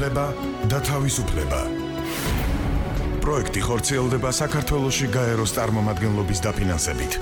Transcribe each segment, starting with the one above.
განათლება და თავისუფლება. პროექტი ხორციელდება საქართველოში გაეროს წარმომადგენლობის დაფინანსებით.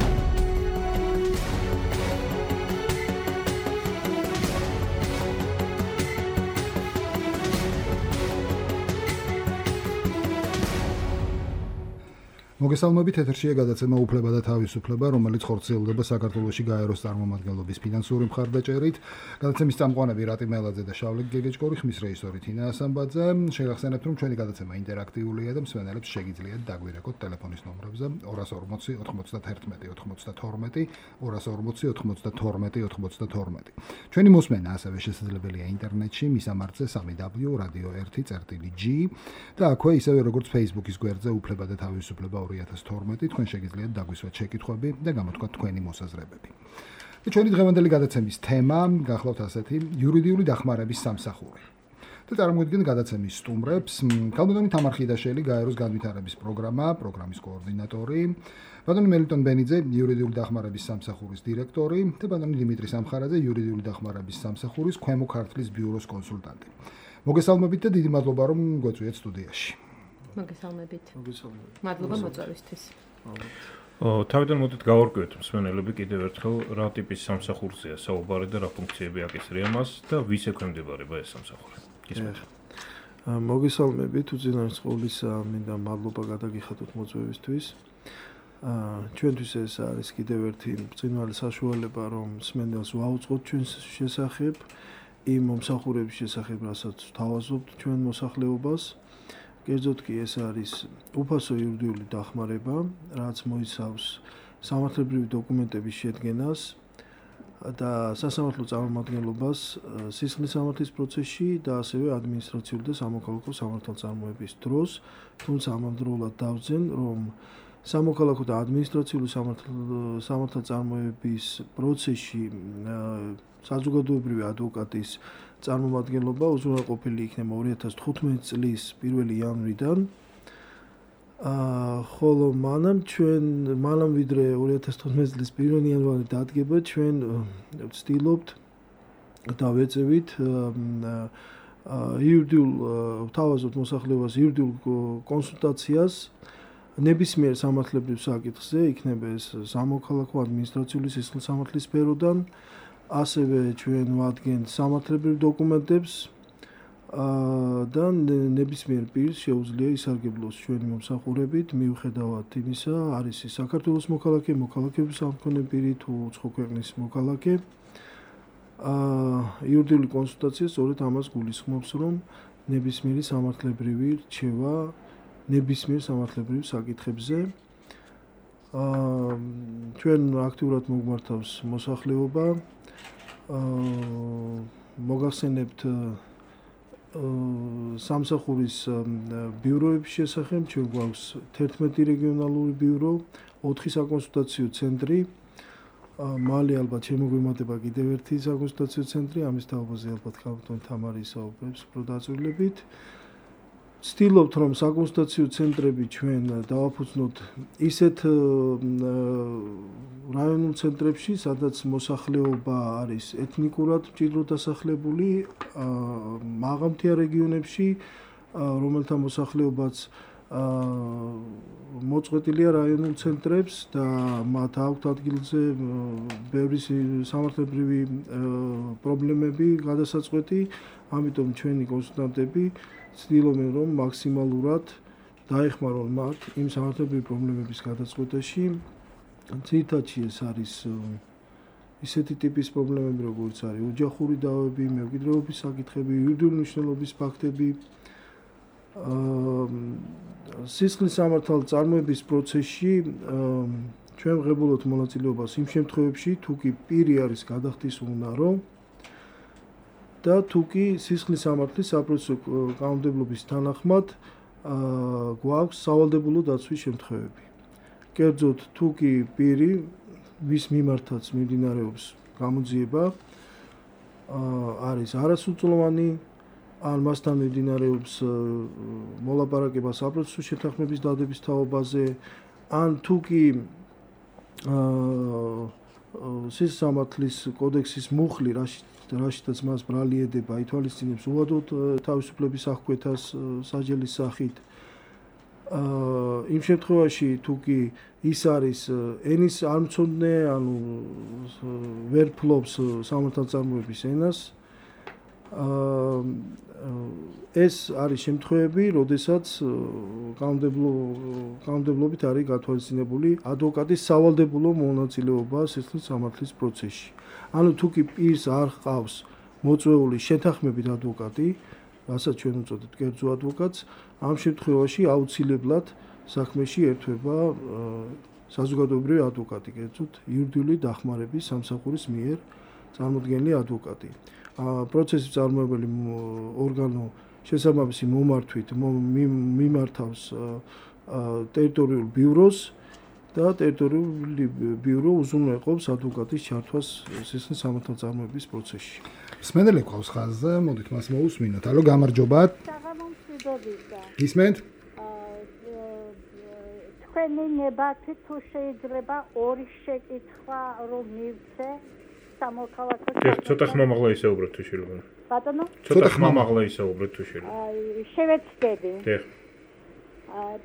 მოგესალმებით, ეთერშია გადაცემა უფლება და თავისუფლება, რომელიც ხორციელდება საქართველოში გაეროს წარმომადგენლობის ფინანსური მხარდაჭერით. გადაცემის წამყვანები რატი მელაძე და შავლე გეგეჭკორი, ხმის რეჟისორი თინა ასამბაძე. შეგახსენებთ, რომ ჩვენი გადაცემა ინტერაქტიულია და მსმენელებს შეგიძლიათ დაგვირეკოთ ტელეფონის ნომრებზე 240 91 92 240 92 92. ჩვენი მოსმენა ასევე შესაძლებელია ინტერნეტში, მისამართზე www.radio1.g და აქვე ისევე როგორც Facebook-ის გვერდზე უფლება და თავისუფლება 2012 თქვენ შეგიძლიათ დაგვისვათ შეკითხვები და გამოთქვათ თქვენი მოსაზრებები. და ჩვენი დღევანდელი გადაცემის თემა გახლავთ ასეთი: იურიდიული დახმარების სამსახური. და წარმოგვიდგენთ გადაცემის სტუმრებს: ქალბატონი თამარ ხიდაშელი, გაეროს განვითარების პროგრამის კოორდინატორი, ბატონი მელიტონ ბენიძე, იურიდიული დახმარების სამსახურის დირექტორი და ბატონი დიმიტრი სამხარაძე, იურიდიული დახმარების სამსახურის ქვემო ქართლის ბიუროს კონსულტანტი. მოგესალმებით და დიდი მადლობა რომ გვეწვიეთ სტუდიაში. მოგესალმებით. მადლობა მოწვევისთვის. თავიდან მოდით გავარკვიოთ მსმენელები კიდევ ერთხელ რა ტიპის სამსახურზეა საუბარი და რა ფუნქციები აკისრია მას და ვის ექვემდებარება ეს სამსახური. გისმენთ. მოგესალმებით, უწინარესყოლისა მინდა მადლობა გადაგიხადოთ მოწვევისთვის. ჩვენთვის ეს არის კიდევ ერთი ბრწყინვალე საშუალება, რომ მსმენელს ვაუწყოთ ჩვენს შესახებ, იმ მომსახურების შესახებ, რასაც ვთავაზობთ ჩვენ მოსახლეობას. კერძოდ კი ეს არის უფასო იურიდიული დახმარება, რაც მოიცავს სამართლებრივი დოკუმენტების შედგენას და სასამართლო წარმომადგენლობას სისხლის სამართლის პროცესში და ასევე ადმინისტრაციული და სამოქალაქო სამართალწარმოების დროს, თუმცა ამავდროულად დავძენ, რომ სამოქალაქო და ადმინისტრაციული სამართალწარმოების პროცესში საზოგადოებრივი ადვოკატის წარმომადგენლობა უზრუნველყოფილი იქნება 2015 წლის 1 იანვრიდან. ხოლო მანამ ვიდრე 2015 წლის 1 იანვარი დადგება, ჩვენ ვცდილობთ და ვეწევით ვთავაზობთ მოსახლეობას იურიდიულ კონსულტაციას ნებისმიერ სამართლებრივ საკითხზე, იქნება ეს სამოქალაქო ადმინისტრაციული სისხლის სამართლის სფეროდან. ასევე ჩვენ ვადგენთ სამართლებრივ დოკუმენტებს და ნებისმიერ პირს შეუძლია ისარგებლოს ჩვენი მომსახურებით, მიუხედავად იმისა, არის ის საქართველოს მოქალაქე, მოქალაქეობის სამქონე პირი თუ უცხო ქვეყნის მოქალაქე. იურიდიული კონსულტაცია სწორედ ამას გულისხმობს, რომ ნებისმიერი სამართლებრივი რჩევა ნებისმიერ სამართლებრივ საკითხებზე. ჩვენ აქტიურად მოგმართავს მოსახლეობა. მოგახსენებთ სამსახურის ბიუროების შესახებ, ჩვენ გვაქვს 11 რეგიონალური ბიურო, 4 საკონსულტაციო ცენტრი. მალე ალბათ შემოგვიმატება კიდევ ერთი საკონსულტაციო ცენტრი, ამის თაობაზე ალბათ ქალბატონი თამარი ისაუბრებს უფრო დაწვრილებით. ვცდილობთ, რომ საკონსულტაციო ცენტრები ჩვენ დავაფუძნოთ ისეთ რაიონულ ცენტრებში, სადაც მოსახლეობა არის ეთნიკურად მჭიდროდ დასახლებული, მაღალმთიან რეგიონებში, რომელთა მოსახლეობაც მოწყვეტილია რაიონულ ცენტრებს და მათ აქვთ ადგილზე ბევრი სამართლებრივი პრობლემები გადასაწყვეტი, ამიტომ ჩვენი კონსულტანტები ცდილობენ, რომ მაქსიმალურად დაეხმარონ მათ იმ სამართლებრივი პრობლემების გადაწყვეტაში. ძირითადში ეს არის ისეთი ტიპის პრობლემები, როგორც არის ოჯახური დავები, მემკვიდრეობის საკითხები, იურიდიული მნიშვნელობის ფაქტები. სისხლის სამართალწარმოების პროცესში ჩვენ ვღებულობთ მონაწილეობას იმ შემთხვევებში, თუ კი პირი არის გადახდის უნარო და თუ კი სისხლის სამართლის საპროცესო კანონმდებლობის თანახმად გვაქვს სავალდებულო დაცვის შემთხვევები. კერძოდ, თუ კი პირი, ვის მიმართაც მიმდინარეობს გამოძიება, არის არასრულწლოვანი, ან მასთან მიმდინარეობს მოლაპარაკება საპროცესო შეთანხმების დადების თაობაზე, ან თუ კი სისხლის სამართლის კოდექსის მუხლი, რაშიდაც მას ბრალი ედება, ითვალისწინებს უადოდ თავისუფლების აღკვეთას საჯელის სახით. იმ შემთხვევაში თუ კი ის არის ენის არ მცოდნე, ანუ ვერ ფლობს სამართალწარმოების ენას, ეს არის შემთხვევები, როდესაც კანონმდებლობით არის გათვალისწინებული ადვოკატის სავალდებულო მონაწილეობა სისხლის სამართლის პროცესში. ანუ თუ კი პირს არ ჰყავს მოწვეული შეთანხმებით ადვოკატი, რასაც ჩვენ უწოდებთ კერძო ადვოკატს, ამ შემთხვევაში აუცილებლად საქმეში ერთვება საზოგადოებრივი ადვოკატი, კერძოდ იურიდიული დახმარების სამსახურის მიერ წარმოდგენილი ადვოკატი. პროცესის წარმოებელი ორგანო შესაბამისი მომართვით მიმართავს ტერიტორიულ ბიუროს და ტერიტორიული ბიურო უზრუნველყოფს ადვოკატის ჩართვას სისხლის სამართალწარმოების პროცესში. მსმენელი ყავს ხაზზე, მოდით მას მოусმინოთ. ალო, გამარჯობათ. გისმენთ? თქვენი ნებართი თუ შეიძლება ორი შეკითხვა რომ მივცე სამოქალაქო ცოტა ხმამაღლა ისაუბრეთ თუ შეიძლება. ბატონო? ცოტა ხმამაღლა ისაუბრეთ თუ შეიძლება. შევეცდები. დიახ.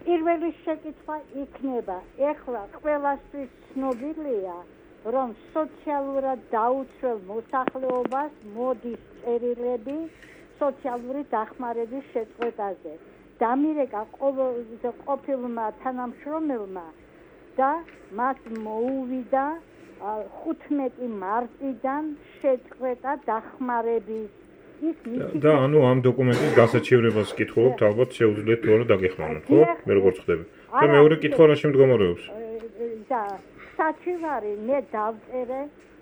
პირველი შეკითხვა იქნება, ეხლა ყველასთვის ცნობილია, რომ სოციალურად დაუცველ მოსახლეობას მოდის წერილები სოციალური დახმარების შეწყვეტაზე. დამირეკა ყოფილმა თანამშრომელმა და მას მოუვიდა 15 მარტიდან შეწყვეტა დახმარების. და ანუ ამ დოკუმენტის გასაჩივრებას კითხულობთ, ალბათ შეუძლიათ თუ არა დაგეხმაროთ, ხო? მე როგორ ხდები? და მეორე კითხვა რა შემდგომარეობს? და საჩივარი მე დავწერე,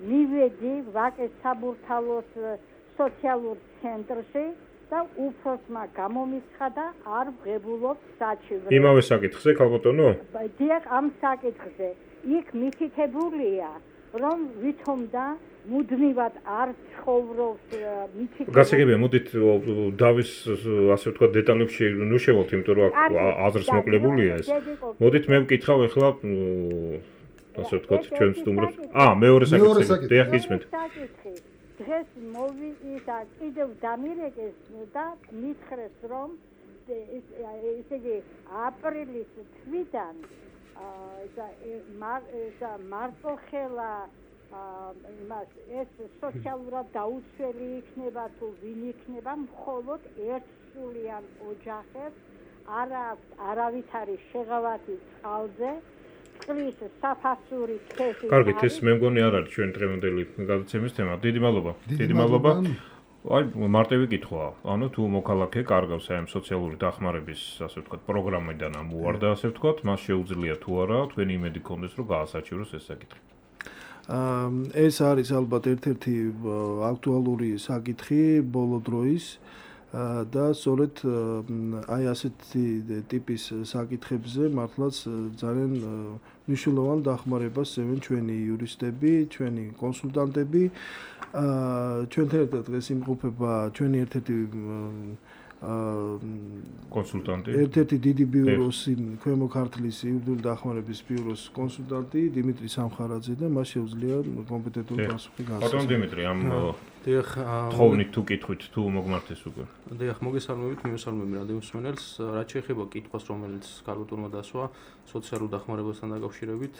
მივედი ვაკეს საბურთალოს სოციალურ ცენტრში და უფროსმა გამომიცხადა არ ვღებულობ საჩივრს. იმავე საკითხზე, ქალბატონო? დიახ, ამ საკითხზე. იქ მითითებულია, რომ ვითომ და მუდმივად არ ცხოვრობს მითითებული. გასაგებია, მოდით დავის ასე ვთქვათ დეტალებში ნუ შევალთ, იმიტომ რომ აქ აზრს მოკლებულია ეს. მოდით მე ვკითხავ ახლა ასე ვთქვათ ჩვენ სტუმრებს. მეორე საკითხი. დიახ, გისმენთ. დღეს მოვიდა კიდევ დამირეკეს და მითხრეს რომ ესე იგი აპრილის თვიდან მარტოხელა იმას ეს სოციალურად დაუცველი იქნება თუ ვინ იქნება, მხოლოდ ერთსულიან ოჯახებს არავითარი შეღავათი წყალზე წყლის საფასური თეში. კარგით, ეს მე მგონი არ არის ჩვენ დღევანდელი გადაცემის თემა. დიდი მადლობა. დიდი მადლობა. აი, მარტივი კითხვაა. ანუ თუ მოქალაქე კარგავს აი ამ სოციალური დახმარების, ასე ვთქვათ, პროგრამიდან ამ უარდა, ასე ვთქვათ, მას შეუძლია თუ არა თქვენი იმედი გქონდეს, რომ გაასაჩივროს ეს საკითხი. ეს არის ალბათ ერთ-ერთი აქტუალური საკითხი ბოლო დროის და სწორედ აი ასეთი ტიპის საკითხებზე მართლაც ძალიან მნიშვნელოვან დახმარებას ევენ ჩვენი იურისტები, ჩვენი კონსულტანტები. ჩვენთან ერთად დღეს იმყოფება ჩვენი ერთ-ერთი კონსულტანტი. ერთ-ერთი დიდი ბიუროს ქვემო ქართლის იურიდიული დახმარების ბიუროს კონსულტანტი დიმიტრი სამხარაძე და მას შეუძლია კომპეტენტური პასუხი გასცეს. ბატონ დიმიტრი, ამ დიახ, თხოვნით თუ კითხვით თუ მოგმართეს უკვე. დიახ, მოგესალმებით, მიმოსალმები რადიო მსმენელს. რაც შეეხება კითხვას, რომელიც ქალბატონმა დასვა სოციალურ დახმარებასთან დაკავშირებით,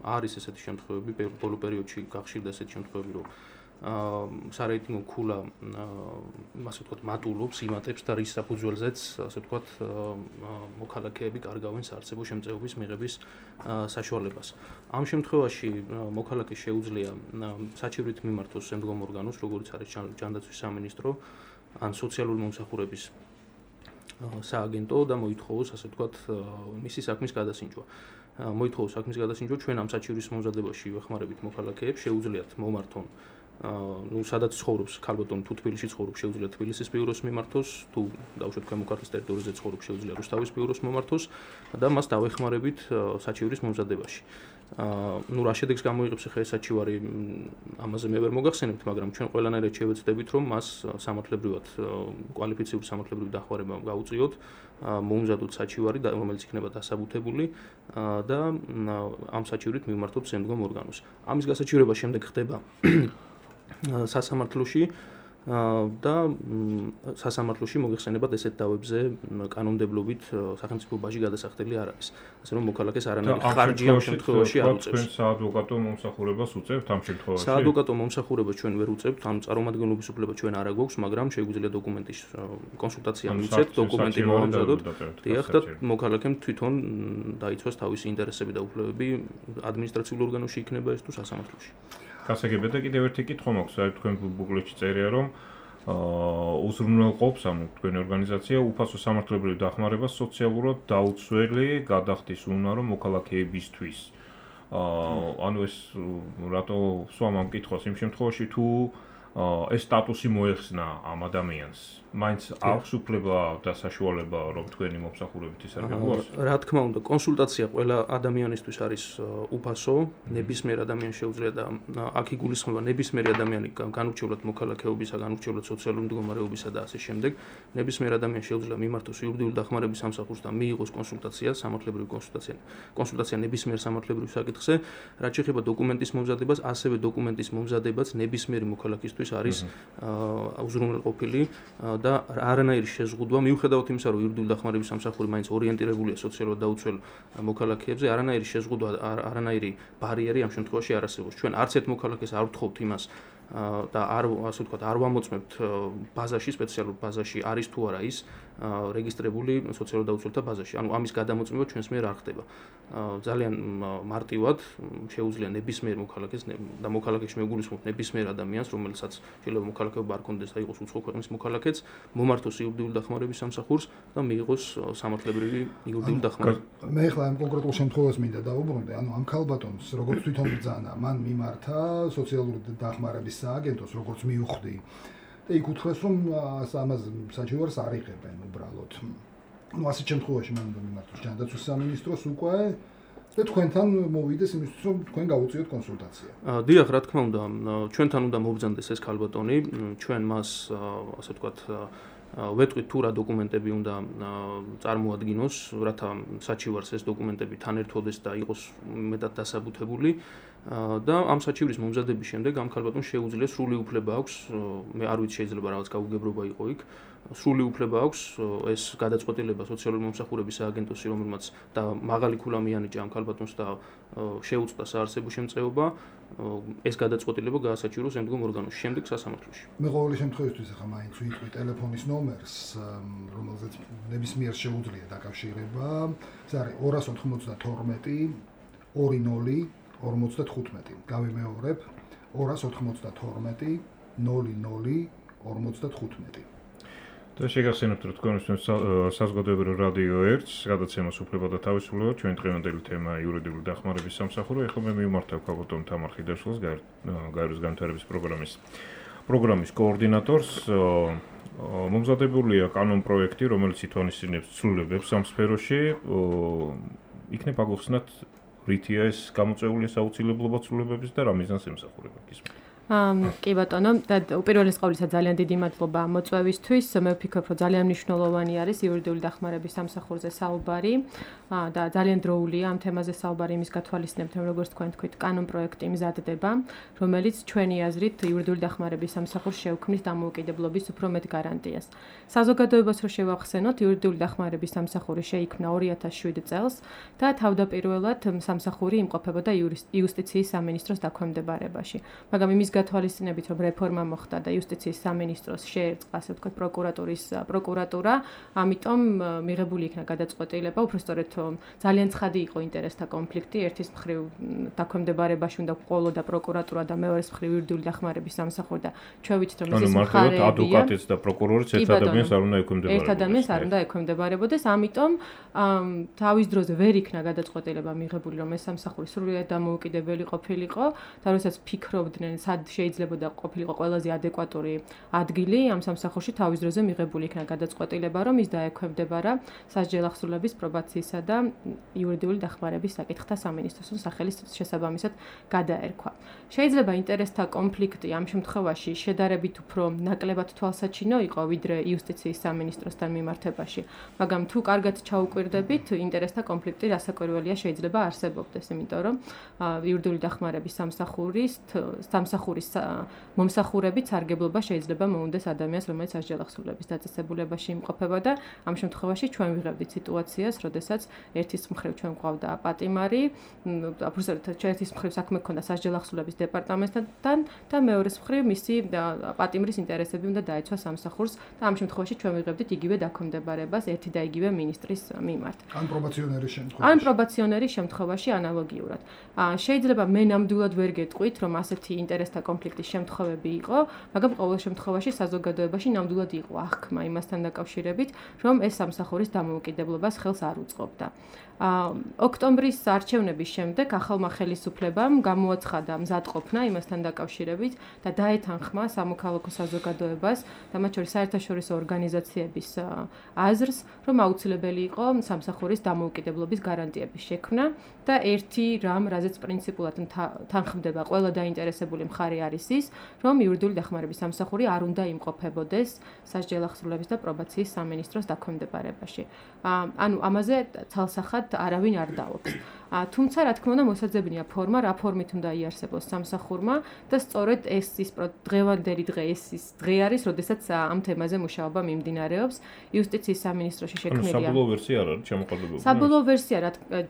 არის ესეთი შემთხვევები, ბოლო პერიოდში გახშირდა ესეთი შემთხვევები, რომ სარეიტინგო ქულა ასე ვთქვათ მატულობს, იმატებს და რის საფუძველზეც ასე ვთქვათ მოქალაქეები კარგავენ საარსებო შემწეობის მიღების საშუალებას. ამ შემთხვევაში მოქალაქე შეუძლია საჩივრით მიმართოს შემდგომ ორგანოს, როგორც არის ჯანდაცვის სამინისტრო ან სოციალური მომსახურების სააგენტო და მოითხოვოს ასე ვთქვათ მისი საქმის გადასინჯვა. მოითხოვოს საქმის გადასინჯვა, ჩვენ ამ საჩივრის მომზადებაში ვეხმარებით მოქალაქეებს, შეუძლიათ მომართონ სადაც ცხოვრობს ქალბატონი თუ თბილისში ცხოვრობს შეუძლია თბილისის ბიუროს მიმართოს, თუ დავუშვათ ქვემო ქართლის ტერიტორიაზე ცხოვრობს შეუძლია რუსთავის ბიუროს მომართოს და მას დავეხმარებით საჩივრის მომზადებაში. რა შედეგს გამოიღებს ახლა ეს საჩივარი, ამაზე მე ვერ მოგახსენებთ, მაგრამ ჩვენ ყველანაირად შევეცდებით, რომ მას სამართლებრივად კვალიფიციური სამართლებრივი დახმარება გაუწიოთ, მოუმზადოთ საჩივარი, რომელიც იქნება დასაბუთებული და ამ საჩივრით მიმართოთ შემდგომ ორგანოს. ამის გასაჩივრება შემდეგ ხდება სასამართლოში და სასამართლოში მოგეხსენებათ ესეთ დავებზე კანონმდებლობით სახელმწიფო ბაჟი გადასახდელი არ არის. ასე რომ მოქალაქეს არანაირი ხარჯი ამ შემთხვევაში არ უწევს. თქვენ საადვოკატო მომსახურებას უწევთ ამ შემთხვევაში? საადვოკატო მომსახურებას ჩვენ ვერ უწევთ, ამ წარმომადგენლობის უფლება ჩვენ არ აგვაქვს, მაგრამ შეგვიძლია დოკუმენტის კონსულტაცია მივცეთ, დოკუმენტი მოვამზადოთ. დიახ, და მოქალაქემ თვითონ დაიცვას თავისი ინტერესები და უფლებები ადმინისტრაციულ ორგანოში იქნება ეს თუ სასამართლოში. გასაგებია და კიდევ ერთი კითხვა მაქვს, აი თქვენ ბუკლეტში წერია რომ უზრუნველყოფს ანუ თქვენი ორგანიზაცია უფასო სამართლებრივ დახმარებას სოციალურად დაუცველი გადახდის უნარო მოქალაქეებისთვის. ანუ ეს რატო სვამ ამ კითხვას იმ შემთხვევაში თუ ეს სტატუსი მოეხსნა ამ ადამიანს. მაინც აქვს უფლება და საშუალება რომ თქვენი მომსახურებით ის არ გაგუას? რა თქმა უნდა, კონსულტაცია ყველა ადამიანისთვის არის უფასო, ნებისმიერ ადამიანს შეუძლია და აქ იგულისხმება ნებისმიერი ადამიანი განურჩევლად მოქალაქეობისა, განურჩევლად სოციალური მდგომარეობისა და ასე შემდეგ. ნებისმიერ ადამიანს შეუძლია მიმართოს იურიდიული დახმარების სამსახურს და მიიღოს კონსულტაცია, სამართლებრივი კონსულტაცია ნებისმიერ სამართლებრივ საკითხზე, რაც შეეხება დოკუმენტის მომზადებას, ასევე დოკუმენტის მომზადებაც ნებისმიერი მოქალაქისთვის არის უზრუნველყოფილი და არანაირი შეზღუდვა მიუხედავად იმისა, რომ იურიდიული დახმარების სამსახური მაინც ორიენტირებულია სოციალურად დაუცველ მოქალაქეებზე, არანაირი შეზღუდვა, არანაირი ბარიერი ამ შემთხვევაში არ არსებობს. ჩვენ არც ერთ მოქალაქეს არ ვთხოვთ იმას და ასე ვთქვათ, არ ვამოწმებთ ბაზაში, სპეციალურ ბაზაში არის თუ არა ის რეგისტრირებული სოციალურად დაუცველთა ბაზაში. ანუ ამის გადამოწმება ჩვენს მიერ არ ხდება. ძალიან მარტივად შეუძლია ნებისმიერ მოქალაქეს და მოქალაქეში მეგულისხმობ ნებისმიერ ადამიანს, რომელსაც შეიძლება მოქალაქეობა არ კონდეს და იყოს უცხო ქვეყნის მოქალაქეც, მომართოს იურიდიული დახმარების სამსახურს და მიიღოს სამართლებრივი იურიდიული დახმარება. მე ახლა ამ კონკრეტულ შემთხვევას მინდა დავუბრუნდე, ანუ ამ ქალბატონს როგორც თვითონ ბრძანა, მან მიმართა სოციალური დახმარების სააგენტოს, როგორც მიუხვდი. და იქ უთხრეს, რომ ამას საჩივარს არ იღებენ უბრალოდ. ну ასეთ შემთხვევაში მან მიმართოს ჯანდაცვის სამინისტროს უკვე და თქვენთან მოვიდეს იმისთვის, რომ თქვენ გავუწიოთ კონსულტაცია. დიახ, რა თქმა უნდა, ჩვენთან უნდა მობრძანდეს ეს ქალბატონი, ჩვენ მას ასე ვთქვათ ვეტყვით თუ რა დოკუმენტები უნდა წარმოადგინოს, რათა საჩივარს ეს დოკუმენტები თან ერთვოდეს და იყოს მეტად დასაბუთებული. და ამ საჩივრის მომზადების შემდეგ ამ ქალბატონს შეუძლია სრული უფლება აქვს, მე არ ვიცი შეიძლება რაღაც გაუგებრობა იყო იქ, სრული უფლება აქვს ეს გადაწყვეტილება სოციალური მომსახურების სააგენტოსი, რომელმაც და მაღალი ქულა მიანიჭა ამ ქალბატონს და შეუწყდა საარსებო შემწეობა, ეს გადაწყვეტილება გაასაჩივროს ემდგომ ორგანოში, შემდეგ სასამართლოში. მე ყოველი შემთხვევისთვის ახლა მაინც ვიტყვი ტელეფონის ნომერს, რომელზეც ნებისმიერ შეუძლია დაკავშირება. ეს არის 292 20 55. გავიმეორებ 292 00 55. და შეგახსენებთ, რომ თქვენ საზოგადოებრივ რადიო 1-ს გადაცემას უფლება და თავისუფლება ჩვენ დღევანდელი თემა იურიდიული დახმარების სამსახური. ახლა მე მიმართავ ქალბატონ თამარ ხიდაშვილს, გაეროს განვითარების პროგრამის კოორდინატორს. მომზადებულია კანონპროექტი, რომელიც ითვალისწინებს ცვლილებებს ამ სფეროში. იქნება აგვხსნათ რითია ეს გამოწვეული საუცილებლობა ცვლილებების და რა მიზანს ემსახურება გისმენთ? კი ბატონო, და უპირველეს ყოვლისა ძალიან დიდი მადლობა მოწვევისთვის. მე ვფიქრობ, რომ ძალიან მნიშვნელოვანი არის იურიდიული დახმარების სამსახურზე საუბარი და ძალიან დროულია ამ თემაზე საუბარი იმის გათვალისწინებთ, რომ როგორც თქვენ თქვით, კანონპროექტი მზადდება, რომელიც ჩვენი აზრით იურიდიული დახმარების სამსახურს შეუქმნის დამოუკიდებლობის უფრო მეტ გარანტიას. საზოგადოებას რო შევახსენოთ, იურიდიული დახმარების სამსახური შეიქმნა 2007 წელს და თავდაპირველად სამსახური იმყოფებოდა იუსტიციის სამინისტროს დაქვემდებარებაში. მაგრამ იმის გათვალისწინებით, რომ რეფორმა მოხდა და იუსტიციის სამინისტროს შეერწყა, ასე ვთქვათ, პროკურატურა, ამიტომ მიღებული იქნა გადაწყვეტილება, უბრალოდ ძალიან ცხადი იყო ინტერესთა კონფლიქტი, ერთის მხრივ დაქვემდებარებაში უნდა ყოლოდა პროკურატურა და მეორეს მხრივ იურიდიული დახმარების სამსახური და ჩვენ ვიცით, რომ ეს მხარეებია. ანუ ადვოკატიც და პროკურორიც ერთ ადამიანს არ უნდა ექვემდებარებოდეს. ერთ ადამიანს არ უნდა ექვემდებარებოდეს, ამიტომ თავის დროზე ვერ იქნა გადაწყვეტილება მიღებული, რომ ეს სამსახური სრულიად დამოუკიდებელი ყოფილიყო და როდესაც ფიქრობდნენ, სად შეიძლება ყოფილიყო ყველაზე ადეკვატური ადგილი ამ სამსახურში, თავის დროზე მიღებული იქნა გადაწყვეტილება, რომ ის დაექვემდებარა სასჯელ ახსრულების პრობაციისა და იურიდიული დახმარების საკითხთა სამინისტროს სახელის შესაბამისად გადაერქვა. შეიძლება ინტერესთა კონფლიქტი ამ შემთხვევაში შედარებით უფრო ნაკლებად თვალსაჩინო იყო, ვიდრე იუსტიციის სამინისტროსთან მიმართებაში, მაგრამ თუ კარგად ჩაუკვირდებით, ინტერესთა კონფლიქტი რასაკვირველია შეიძლება არსებობდეს, იმიტომ რომ იურიდიული დახმარების სამსახური სამსახურის მომსახურებით სარგებლობა შეიძლება მოუნდეს ადამიანს, რომელიც სასჯელახსრულების დაწესებულებაში იმყოფება და ამ შემთხვევაში ჩვენ ვიღებდით სიტუაციას, როდესაც ერთის მხრივ ჩვენ გვყავდა პატიმარი, ერთის მხრივ საქმე ჰქონდა სასჯელახსრულების დეპარტამენტთან და მეორეს მხრივ მისი პატიმრის ინტერესები უნდა დაეცვა სამსახურს და ამ შემთხვევაში ჩვენ ვიღებდით იგივე დაქვემდებარებას ერთი და იგივე მინისტრის მიმართ. ან პრობაციონერის შემთხვევაში ანალოგიურად. შეიძლება მე ნამდვილად ვერ გეტყვით, რომ ასეთი ინტერესთა კონფლიქტის შემთხვევები იყო, მაგრამ ყოველ შემთხვევაში საზოგადოებაში ნამდვილად იყო აღქმა იმასთან დაკავშირებით, რომ ეს სამსახურის დამოუკიდებლობას ხელს არ უწყობდა. ოქტომბრის არჩევნების შემდეგ ახალმა ხელისუფლებამ გამოაცხადა მზადყოფნა იმასთან დაკავშირებით და დაეთანხმა სამოქალაქო საზოგადოებას და მათ შორის საერთაშორისო ორგანიზაციების აზრს, რომ აუცილებელი იყო სამსახურის დამოუკიდებლობის გარანტიების შექმნა და ერთი რამ, რაზეც პრინციპულად თანხმდება ყველა დაინტერესებული მხარე არის ის, რომ იურიდიული დახმარების სამსახური არ უნდა იმყოფებოდეს სასჯელახსრულების და პრობაციის სამინისტროს დაქვემდებარებაში. ანუ ამაზე ცალსახად არავინ არ დაობს. თუმცა რა თქმა უნდა მოსაძებნია ფორმა, რა ფორმით უნდა იარსებოს სამსახურმა და სწორედ ეს ის დღევანდელი დღე ეს ის დღე არის, როდესაც ამ თემაზე მუშაობა მიმდინარეობს. იუსტიციის სამინისტროში შექმნილია. საბოლოო ვერსია არ არის ჩამოყალიბებული. საბოლოო ვერსია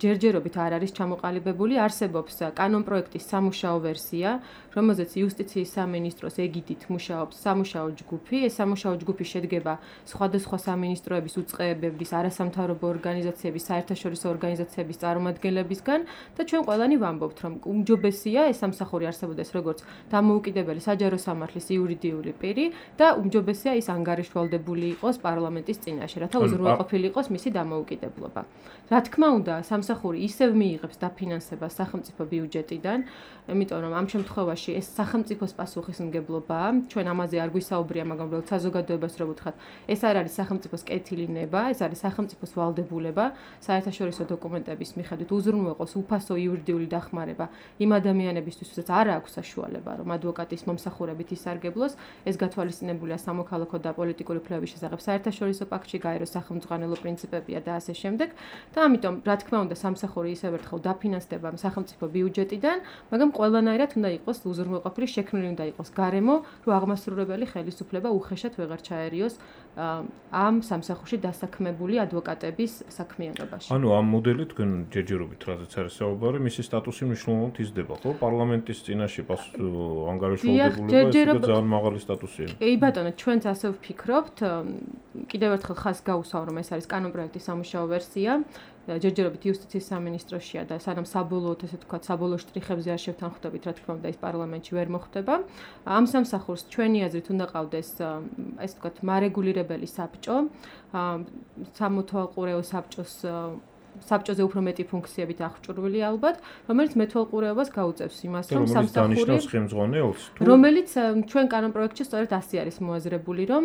ჯერჯერობით არ არის ჩამოყალიბებული, არსებობს კანონპროექტის სამუშაო ვერსია, რომელზეც იუსტიციის სამინისტროს ეგიდით მუშაობს სამუშაო ჯგუფი. ეს სამუშაო ჯგუფი შედგება სხვადასხვა სამინისტროების უწყებების, არასამთავრობო ორგანიზაციების, საერთაშორისო ორგანიზაციების წარმომადგენლებისგან და ჩვენ ყველანი ვამბობთ, რომ უმჯობესია ეს სამსახური არსებობდეს როგორც დამოუკიდებელი საჯარო სამართლის იურიდიული პირი და უმჯობესია ის ანგარიშვალდებული იყოს პარლამენტის წინაშე, რათა უზრუნველყოფილი იყოს მისი დამოუკიდებლობა. რა თქმა უნდა, სამსახური ისევ მიიღებს დაფინანსებას სახელმწიფო ბიუჯეტიდან, იმიტომ რომ ამ შემთხვევაში ეს სახელმწიფოს პასუხისმგებლობაა. ჩვენ ამაზე არ გვისაუბრია, მაგრამ უბრალოდ საზოგადოებას რო ვუთხრათ, ეს არ არის სახელმწიფოს კეთილი ნება, ეს არის სახელმწიფოს ვალდებულება, საერთაშორისო დოკუმენტების მიხედვით უზრუნველყოს უფასო იურიდიული დახმარება იმ ადამიანებისთვის, ვისაც არ აქვს საშუალება, რომ ადვოკატის მომსახურებით ისარგებლოს. ეს გათვალისწინებულია სამოქალაქო და პოლიტიკური უფლებების შესახებ საერთაშორისო პაქტში, გაეროს სახელმძღვანელო პრინციპებია და ასე შემდეგ. და ამიტომ, რა თქმა უნდა, სამსახური ისევ ერთხელ დაფინანსდება სახელმწიფო ბიუჯეტიდან, მაგრამ ყველანაირად უნდა იყოს უზრუნველყოფილი, შექმნილი უნდა იყოს გარემო, რომ აღმასრულებელი ხელისუფლება უხეშად ვეღარ ჩაერიოს ამ სამსახურში დასაქმებული ადვოკატების საქმიანობაში. ანუ ამ მოდელი თქვენ ჯერჯერობით რაზეც არის საუბარი, მისი სტატუსი მნიშვნელოვნად იზრდება, ხო? პარლამენტის წინაშე ანგარიშვალდებულება ეს ძალიან მაღალი სტატუსია. კი ბატონო, ჩვენც ასე ვფიქრობთ. კიდევ ერთხელ ხაზს გავუსვამ, რომ ეს არის კანონპროექტის სამუშაო ვერსია. ჯერჯერობით იუსტიციის სამინისტროშია და სანამ საბოლოოდ ესე ვთქვათ, საბოლოო შტრიხებზე არ შევთანხმდებით, რა თქმა უნდა, ის პარლამენტში ვერ მოხდება. ამ სამსახურს ჩვენი აზრით უნდა ყავდეს ესე ვთქვათ, მარეგულირებელი საბჭო, სამოთვალყურეო საბჭოზე უფრო მეტი ფუნქციებით აღჭურვილი ალბათ, რომელიც მეთვალყურეობას გაუწევს იმას, რომ სამსახური ხელმძღვანელს რომელიც ჩვენ კანონპროექტში სწორედ ასე არის მოაზრებული, რომ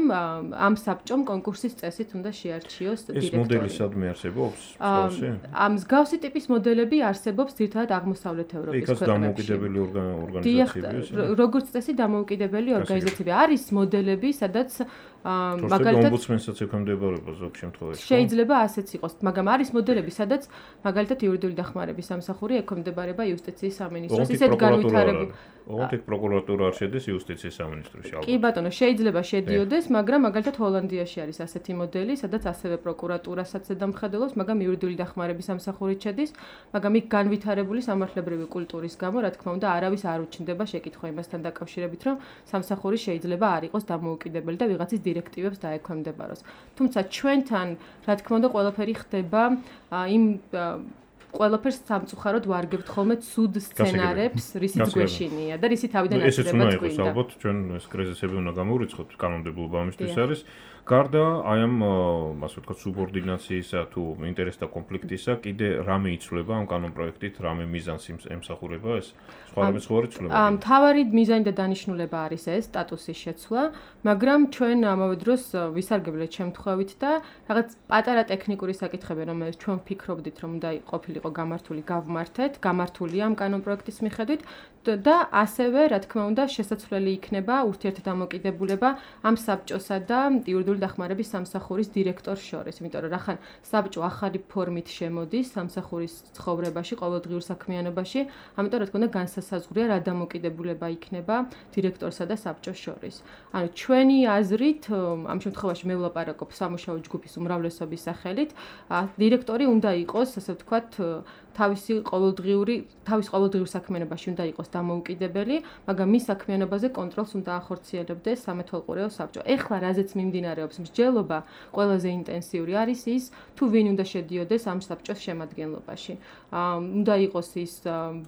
ამ საბჭომ კონკურსის წესით უნდა შეარჩიოს დირექტორი. ეს მოდელი სადმე არსებობს? ამ მსგავსი ტიპის მოდელები არსებობს ძირითადად აღმოსავლეთ ევროპის ქვეყნებში. იქაც დამოუკიდებელი ორგანიზაციებია. როგორც წესი დამოუკიდებელი ორგანიზაციები არის მოდელები, სადაც მაგალითად ომბუდსმენსაც ექვემდებარება ზოგ შემთხვევაში. შეიძლება ასეც იყოს, მაგრამ არის მოდელები, სადაც მაგალითად იურიდიული დახმარების სამსახური ექვემდებარება იუსტიციის სამინისტროს. ისეთ განვითარებული ოღონდ ეგ პროკურატურა არ შედის იუსტიციის სამინისტროში ალბათ. კი ბატონო, შეიძლება შედიოდეს, მაგრამ მაგალითად ჰოლანდიაში არის ასეთი მოდელი, სადაც ასევე პროკურატურასაც ზედამხედველობს, მაგრამ იურიდიული დახმარების სამსახურით შედის, მაგრამ იქ განვითარებული სამართლებრივი კულტურის გამო, რა თქმა უნდა, არავის არ უჩნდება შეკითხვა იმასთან დაკავშირებით, რომ სამსახური შეიძლება არ იყოს დამოუკიდებელი და ვიღაცის დირექტივებს დაექვემდებაროს. თუმცა ჩვენთან, რა თქმა უნდა, ყველაფერი ხდება იმ ყველაფერს სამწუხაროდ ვარგებთ ხოლმე ცუდ სცენარებს, რისიც გვეშინია და რისი თავიდან აწდება ესეც უნდა იყოს ალბათ, ჩვენ ეს კრიზისები უნდა გამოვირიცხოთ, კანონმდებლობა ამისთვის არის. გარდა აი ამ ასე ვთქვათ, სუბორდინაციისა თუ ინტერესთა კონფლიქტისა, კიდე რამე იცვლება ამ კანონპროექტით, რამე მიზანს ემსახურება ეს? სხვა ცვლილება. მთავარი მიზანი და დანიშნულება არის ეს სტატუსის შეცვლა, მაგრამ ჩვენ ამავე დროს ვისარგებლეთ შემთხვევით და რაღაც პატარა ტექნიკური საკითხები, რომელიც ჩვენ ვფიქრობდით, რომ უნდა ყოფილიყო იყო გამართული, გავმართეთ, გამართულია ამ კანონპროექტის მიხედვით და ასევე, რა თქმა უნდა, შესაძლებელი იქნება ურთიერთდამოკიდებულება ამ საბჭოსა და იურიდიული დახმარების სამსახურის დირექტორს შორის, იმიტომ რომ რახან საბჭო ახალი ფორმით შემოდის სამსახურის ცხოვრებაში, ყოველდღიურ საქმიანობაში, ამიტომ რა თქმა უნდა განსასაზღვრია რა დამოკიდებულება იქნება დირექტორსა და საბჭოს შორის. ანუ ჩვენი აზრით, ამ შემთხვევაში მე ვლაპარაკობ სამუშაო ჯგუფის უმრავლესობის სახელით, დირექტორი უნდა იყოს, ასე ვთქვათ, თავის ყოველდღიურ საქმიანობაში უნდა იყოს დამოუკიდებელი, მაგრამ მის საქმიანობაზე კონტროლს უნდა ახორციელებდეს სამეთვალყურეო საბჭო. ეხლა რაზეც მიმდინარეობს მსჯელობა, ყველაზე ინტენსიური არის ის, თუ ვინ უნდა შედიოდეს ამ საბჭოს შემადგენლობაში. უნდა იყოს ის,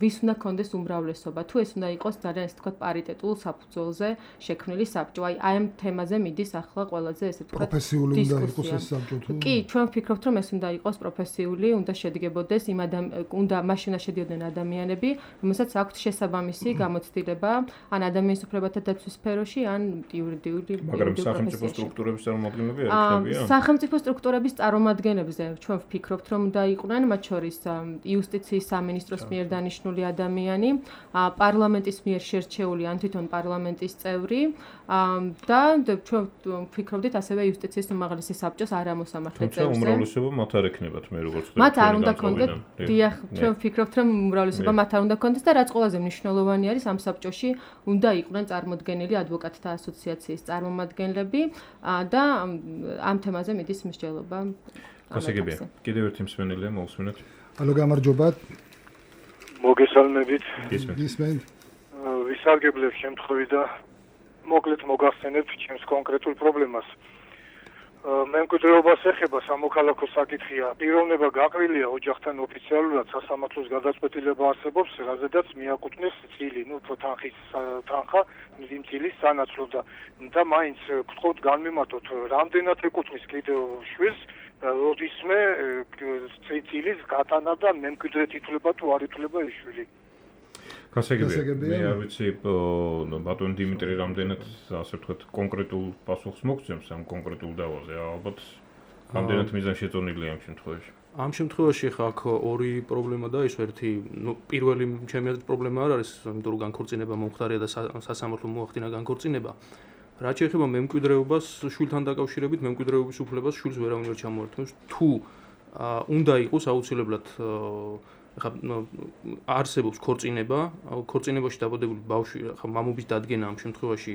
ვის უნდა კონდეს უმრავლესობა, თუ ეს უნდა იყოს ძალიან ასე ვთქვათ პარიტეტულ საფუძველზე შექმნილი საბჭო. აი ამ თემაზე მიდის ახლა ყველაზე ესე ვთქვათ პროფესიული უნდა იყოს ეს საბჭო თუ? კი, ჩვენ ვფიქრობთ, რომ ეს უნდა იყოს პროფესიული, უნდა შედგებოდეს უნდა მაშინ შედიოდნენ ადამიანები, რომელსაც აქვთ შესაბამისი გამოცდილება, ან ადამიანის უფლებათა დაცვის სფეროში, ან იურიდიული. მაგრამ სახელმწიფო სტრუქტურების წარმომადგენლები არ იქნებიან? სახელმწიფო სტრუქტურების წარმომადგენლებზე ჩვენ ვფიქრობთ, რომ უნდა იყვნენ, მათ შორის იუსტიციის სამინისტროს მიერ დანიშნული ადამიანი, პარლამენტის მიერ შერჩეული ან თვითონ პარლამენტის წევრი და ჩვენ ვფიქრობდით ასევე იუსტიციის უმაღლესი საბჭოს არამოსამართლე წევრზე. თუმცა უმრავლესობა მათ არ ექნებათ, მე როგორც ხვდები. მათ არ უნდა კონდეთ. დიახ, ჩვენ ვფიქრობთ, რომ უმრავლესობა მათ არ უნდა კონდეს და რაც ყველაზე მნიშვნელოვანი არის, ამ საბჭოში უნდა იყვნენ წარმოდგენილი ადვოკატთა ასოციაციის წარმომადგენლები და ამ თემაზე მიდის მსჯელობა. გასაგებია. კიდევ ერთი მსმენელია, მოვსმინოთ. ალო, გამარჯობათ. მოგესალმებით. გისმენთ. ვისარგებლებ შემთხვევით და მოკლედ მოგახსენებ ჩემს კონკრეტულ პრობლემას. მემკვიდრეობას ეხება სამოქალაქო საკითხია. პიროვნება გაყრილია ოჯახთან ოფიციალურად სასამართლოს გადაწყვეტილება არსებობს, რაზედაც მიაკუთვნეს წილი, თანხა იმ წილის სანაცვლოდ და მაინც გთხოვთ განმემართოთ, რამდენად ეკუთვნის კიდევ შვილს, როდისმე წილის გატანა და მემკვიდრედ ითვლება თუ არ ითვლება ის შვილი. გასაგებია. მე არ ვიცი ბატონ დიმიტრი რამდენად ასე ვთქვათ კონკრეტულ პასუხს მოგცემს ამ კონკრეტულ დავაზე. ალბათ რამდენად მიზანშეწონილია ამ შემთხვევაში. ამ შემთხვევაში ხა აქ ორი პრობლემა დაიშვა. ერთი, პირველი ჩემი აზრით პრობლემა არ არის, იმიტომ რომ განქორწინება მომხდარია და სასამართლომ მოახდინა განქორწინება. რაც შეეხება მემკვიდრეობას, შვილთან დაკავშირებით მემკვიდრეობის უფლებას შვილს ვერავინ ვერ ჩამოართმევს. თუ უნდა იყოს აუცილებლად ხა არსებობს ქორწინება, ქორწინებაში დაბადებული ბავშვი, ხა მამობის დადგენა ამ შემთხვევაში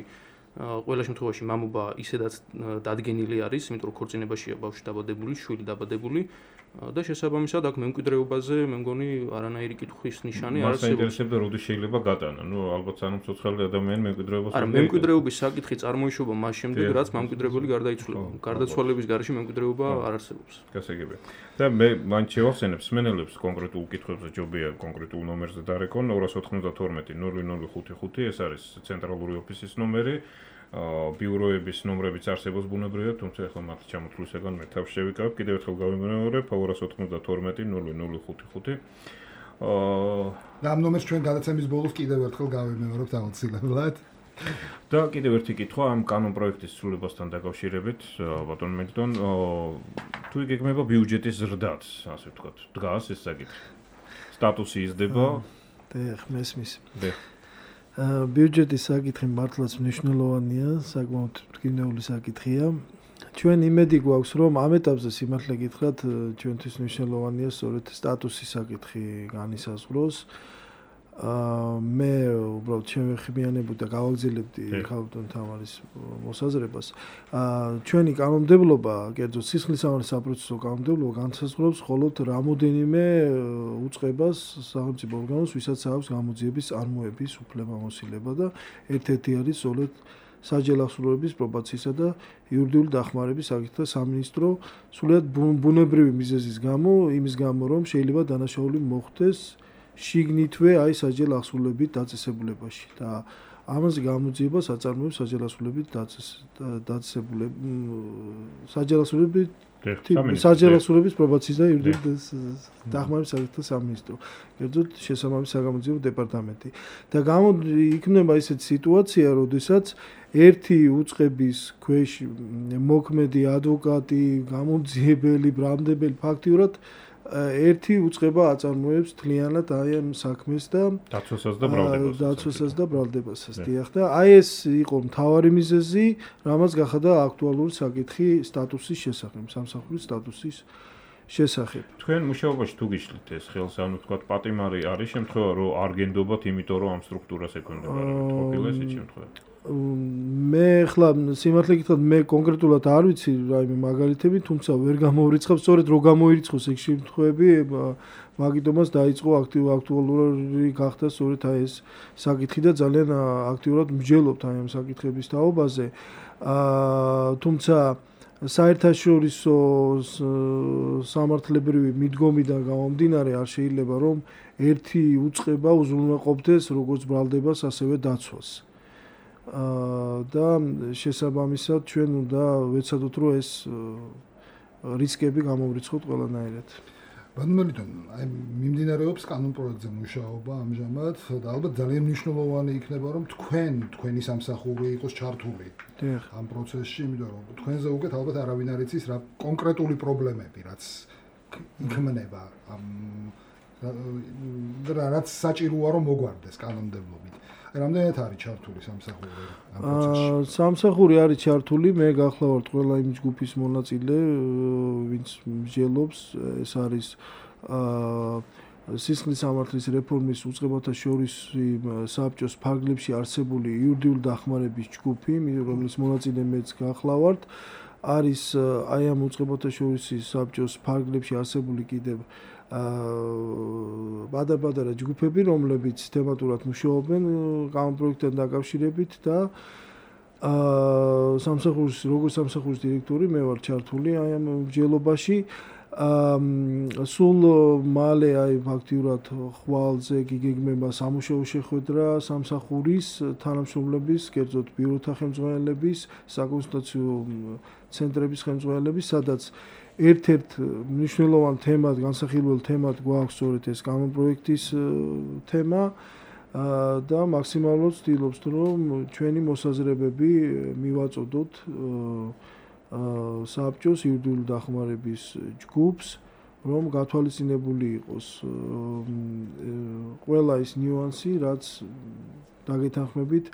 ყველა შემთხვევაში მამობა ისედაც დადგენილი არის, იმიტომ რომ ქორწინებაშია ბავშვი დაბადებული, შვილი დაბადებული და შესაბამისად აქ მემკვიდრეობაზე მე მგონი არანაირი კითხვის ნიშანი არ არსებობს. მას ინტერესებდა როდის შეიძლება გატანა. ალბათ სანამ ცოცხალი ადამიანი მემკვიდრეობას არა, მემკვიდრეობის საკითხი წარმოიშობა მას შემდეგ, რაც მემკვიდრებელი გარდაიცვალა. გარდაცვალების გარეშე მემკვიდრეობა არ არსებობს. გასაგებია. და მე მან შევახსენებ მსმენელებს კონკრეტულ კითხვებზე ჯობია კონკრეტულ ნომერზე დარეკონ 292 0055 ეს არის ცენტრალური ოფისის ნომერი. ბიუროების ნომრებიც არსებობს ბუნებრივად, თუმცა ახლა მათ ჩამოთვლისაგან მე თავს შევიკავებ. კიდევ ერთხელ გავიმეორებ 292 0055. და ამ ნომერს ჩვენ გადაცემის ბოლოს კიდევ ერთხელ გავიმეორებთ აუცილებლად. და კიდევ ერთი კითხვა ამ კანონპროექტის ცვლილებასთან დაკავშირებით, ბატონ მედდონ, თუ იგეგმება ბიუჯეტის ზრდაც, ასე ვთქვათ, დგას ეს საკითხი. სტატუსი იზრდება? დიახ, მესმის. ბიუჯეტის საკითხი მართლაც მნიშვნელოვანია, საკმაოდ მტკივნეული საკითხია. ჩვენ იმედი გვაქვს, რომ ამ ეტაპზე სიმართლე გითხრათ, ჩვენთვის მნიშვნელოვანია სწორედ სტატუსის საკითხი განისაზღვროს. მე უბრალოდ შევეხმიანებდი და გავაგზავნებდი ხალხთან თამარის მოსაზრებას. ჩვენი კანონმდებლობა, კერძოდ სისხლისამართლის საპროცესო კანონმდებლობა განსაზღვრავს მხოლოდ რამოდენიმე უწყებას სახელმწიფო ორგანოს, ვისაც აქვს გამოძიების წარმოების უფლებამოსილება და ერთ-ერთი არის სწორედ საჯარო ახსოვების პრობაციისა და იურიდიული დახმარების საკითხთა სამინისტრო, სულიად ბუნებრივი მიზეზის გამო, იმის გამო, რომ შეიძლება დანაშაული მოხდეს შიგნითვე აი საჯარო ახსოვებით დაწესებულებაში და ამაზე გამოძიებას აწარმოებს საჯარო ახსოვებით საჯარო ახსოვების პრობაციის და იურიდიული დახმარების საკითხთა სამინისტრო, კერძოდ შესაბამისი საგამოძიებო დეპარტამენტი. და იქნება ისეთი სიტუაცია, როდესაც ერთი უწყების ქვეშ მოქმედი ადვოკატი, გამოძიებელი, ბრალმდებელი ფაქტიურად ერთი უწყება აწარმოებს თლიანად აი ამ საქმეს და დაცვასაც და ბრალდებასაც. დიახ და აი ეს იყო მთავარი მიზეზი, რამაც გახადა აქტუალური საკითხი სტატუსის შესახებ, სამსახურის სტატუსის შესახებ. თქვენ მუშაობაში თუ გიშლით ეს ხელს, ანუ თქვა პატიმარი არის შემთხვევა, რომ არ გენდობათ, იმიტომ რომ ამ სტრუქტურას ეკონდობარებთ, ყოფილა ეს შემთხვევა. მე ხლა სიმართლე გითხრათ მე კონკრეტულად არ ვიცი რაიმე მაგალითები, თუმცა ვერ გამოვრიცხავ, სწორედ რო გამოირიცხოს ეგ შემთხვევები, მაგიტომაც დაიწყო აქტუალური გახდა სწორედ აი ეს საკითხი და ძალიან აქტიურად მსჯელობთ აი ამ საკითხების თაობაზე. თუმცა საერთაშორისო სამართლებრივი მიდგომიდან გამომდინარე არ შეიძლება რომ ერთი უწყება უზრუნველყოფდეს როგორც ბრალდებას, ასევე დაცვას. და შესაბამისად ჩვენ უნდა ვეცადოთ რომ ეს რისკები გამოვრიცხოთ ყველანაირად. ბანმელიტონ, აი მიმდინარეობს კანონ პროექტზე მუშაობა ამჟამად და ალბათ ძალიან მნიშვნელოვანი იქნება რომ თქვენი სამსახური იყოს ჩართული ამ პროცესში, იმიტომ რომ თქვენზე უკეთ ალბათ არავინ არ იცის რა კონკრეტული პრობლემები რაც იქმნება და რაც საჭიროა რომ მოგვარდეს კანონმდებლობით. რამდენად არის ჩართული სამსახური ამ პროცესში? სამსახური არის ჩართული, მე გახლავართ ყველა იმ ჯგუფის მონაწილე, ვინც მსჯელობს, ეს არის სისხლის სამართლის რეფორმის უწყებათა შორის საბჭოს ფარგლებში არსებული იურიდიული დახმარების ჯგუფი, რომლის მონაწილე მეც გახლავართ, არის აი ამ უწყებათა შორის საბჭოს ფარგლებში არსებული კიდევ პატარ-პატარა ჯგუფები, რომლებიც თემატურად მუშაობენ კანონპროექტთან დაკავშირებით და როგორც სამსახურის დირექტორი მე ვარ ჩართული აი ამ მსჯელობაში. სულ მალე აი ფაქტიურად ხვალზე გიგეგმება სამუშაო შეხვედრა სამსახურის თანამშრომლების, კერძოდ ბიუროთა ხელმძღვანელების, საკონსულტაციო ცენტრების ხელმძღვანელების, სადაც ერთ-ერთ მნიშვნელოვან თემად, განსახილველ თემად გვაქვს სწორედ ეს კანონპროექტის თემა და მაქსიმალურად ვცდილობთ, რომ ჩვენი მოსაზრებები მივაწოდოთ საბჭოს იურიდიული დახმარების ჯგუფს, რომ გათვალისწინებული იყოს ყველა ის ნიუანსი, რაც დაგეთანხმებით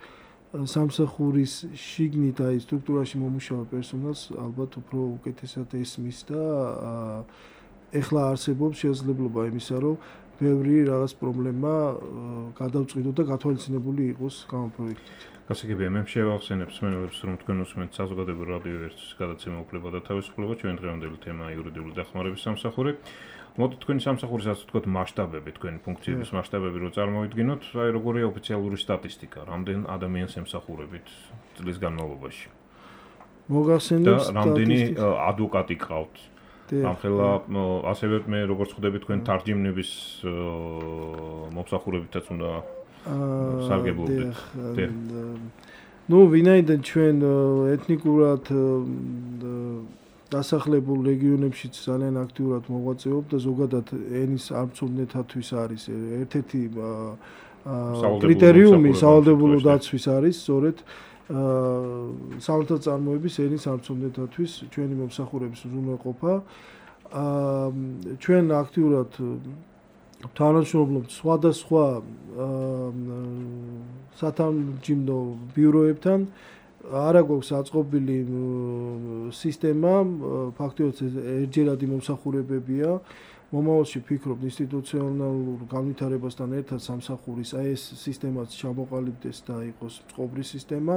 სამსახურის შიგნით აი სტრუქტურაში მომუშავე პერსონალს ალბათ უფრო უკეთესად ესმის და ეხლა არსებობს შესაძლებლობა იმისა, რომ ბევრი რაღაც პრობლემა გადავწყვიტოთ და გათვალისწინებული იყოს კანონპროექტით. გასაგებია, მე შევახსენებ მსმენელებს, რომ თქვენ უსმენთ საზოგადოებრივ რადიო ერთის გადაცემა უფლება და თავისუფლება, ჩვენ დღევანდელი თემაა იურიდიული დახმარების სამსახური. მოდით თქვენი სამსახურისაც ვთქვათ მასშტაბები, თქვენი ფუნქციების მასშტაბები რო წარმოვიდგინოთ, აი როგორია ოფიციალური სტატისტიკა, რამდენ ადამიანს ემსახურებით წლის განმავლობაში? მოგახსენებს და რამდენი ადვოკატი ყავთ? ამხელა ასევე მე როგორც ხვდები თქვენ თარჯიმნების მომსახურებითაც უნდა სარგებლობდეთ. ნუ ვინაიდან ჩვენ ეთნიკურად დასახლებულ რეგიონებშიც ძალიან აქტიურად მოღვაწეობთ და ზოგადად ენის არცოდნეთათვის არის ერთ-ერთი კრიტერიუმი სავალდებულო დაცვის არის სწორედ სამართალწარმოების ენის არცოდნეთათვის ჩვენი მომსახურების უზრუნველყოფა. ჩვენ აქტიურად თანამშრომლობთ სხვადასხვა სათამჯიმნო ბიუროებთან. არა გვაქვს აწყობილი სისტემა, ფაქტობრივად ერთჯერადი მომსახურებებია. მომავალში ვფიქრობ ინსტიტუციონალურ განვითარებასთან ერთად სამსახურის აი ეს სისტემაც ჩამოყალიბდეს და იყოს წყობრი სისტემა.